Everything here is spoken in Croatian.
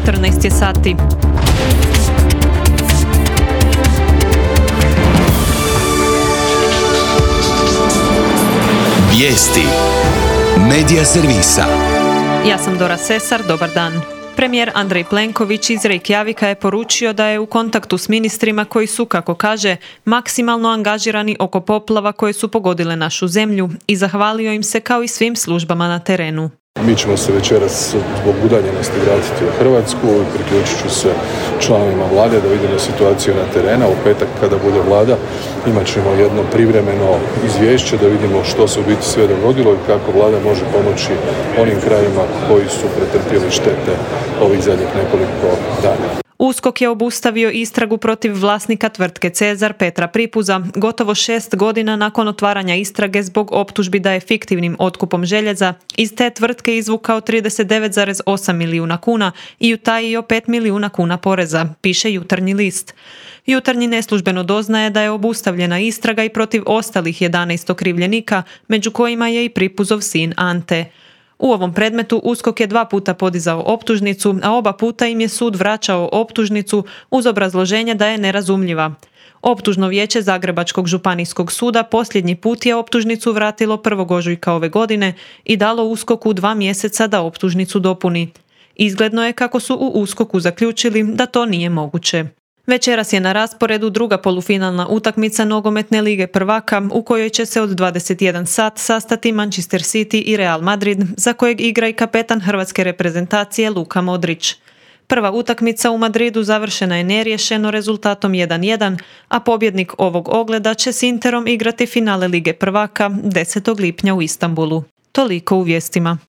14 je sati. Vijesti Medija servisa. Ja sam Dora Sesar, dobar dan. Premijer Andrej Plenković iz Reykjavika je poručio da je u kontaktu s ministrima koji su, kako kaže, maksimalno angažirani oko poplava koje su pogodile našu zemlju i zahvalio im se kao i svim službama na terenu. Mi ćemo se večeras zbog udaljenosti vratiti u Hrvatsku i priključit ću se članovima vlade da vidimo situaciju na terenu. U petak kada bude vlada imat ćemo jedno privremeno izvješće da vidimo što se u biti sve dogodilo i kako vlada može pomoći onim krajima koji su pretrpjeli štete ovih zadnjih nekoliko dana. USKOK je obustavio istragu protiv vlasnika tvrtke Cezar Petra Pripuza gotovo 6 godina nakon otvaranja istrage zbog optužbi da je fiktivnim otkupom željeza iz te tvrtke izvukao 39,8 milijuna kuna i utajio 5 milijuna kuna poreza, piše Jutarnji list. Jutarnji neslužbeno doznaje da je obustavljena istraga i protiv ostalih 11 okrivljenika, među kojima je i Pripuzov sin Ante. U ovom predmetu USKOK je 2 puta podizao optužnicu, a oba puta im je sud vraćao optužnicu uz obrazloženje da je nerazumljiva. Optužno vijeće Zagrebačkog županijskog suda posljednji put je optužnicu vratilo 1. ožujka ove godine i dalo USKOK-u 2 mjeseca da optužnicu dopuni. Izgledno je kako su u USKOK-u zaključili da to nije moguće. Večeras je na rasporedu druga polufinalna utakmica nogometne lige prvaka u kojoj će se od 21 sat sastati Manchester City i Real Madrid, za kojeg igra i kapetan hrvatske reprezentacije Luka Modrić. Prva utakmica u Madridu završena je neriješeno rezultatom 1:1, a pobjednik ovog ogleda će s Interom igrati finale lige prvaka 10. lipnja u Istanbulu. Toliko u vijestima.